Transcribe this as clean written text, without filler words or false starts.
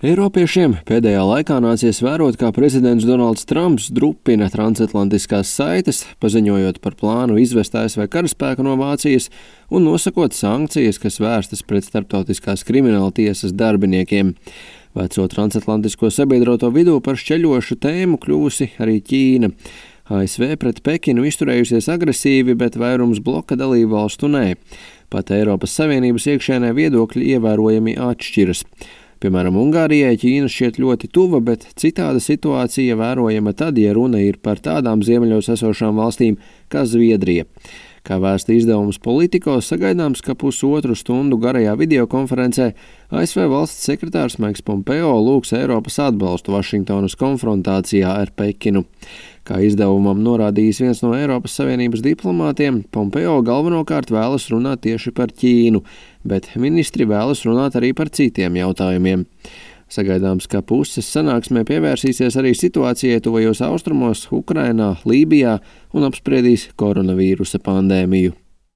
Eiropiešiem pēdējā laikā nācies vērot, kā prezidents Donalds Trumps drupina transatlantiskās saites, paziņojot par plānu izvest ASV karaspēku no Vācijas un nosakot sankcijas, kas vērstas pret starptautiskās krimināla tiesas darbiniekiem. Veco transatlantisko sabiedroto vidū par šķeļošu tēmu kļuvusi arī Ķīna. ASV pret Pekinu izturējusies agresīvi, bet vairums bloka dalību valstu nē. Pat Eiropas Savienības iekšēnē viedokļi ievērojami atšķiras. Piemēram, Ungārijai Ķīna šķiet ļoti tuva, bet citāda situācija vērojama tad, ja runa ir par tādām ziemeļos esošām valstīm kā Zviedrija. Kā vēsta izdevums Politico, sagaidāms, ka pusotru stundu garajā videokonferencē ASV valsts sekretārs Maiks Pompeo lūgs Eiropas atbalstu Vašingtonas konfrontācijā ar Pekinu. Kā izdevumam norādījis viens no Eiropas Savienības diplomātiem, Pompeo galvenokārt vēlas runāt tieši par Ķīnu, bet ministri vēlas runāt arī par citiem jautājumiem. Sagaidāms, ka puses sanāksmē pievērsīsies arī situācijai tuvajos austrumos, Ukrainā, Lībijā un apspriedīs koronavīrusa pandēmiju.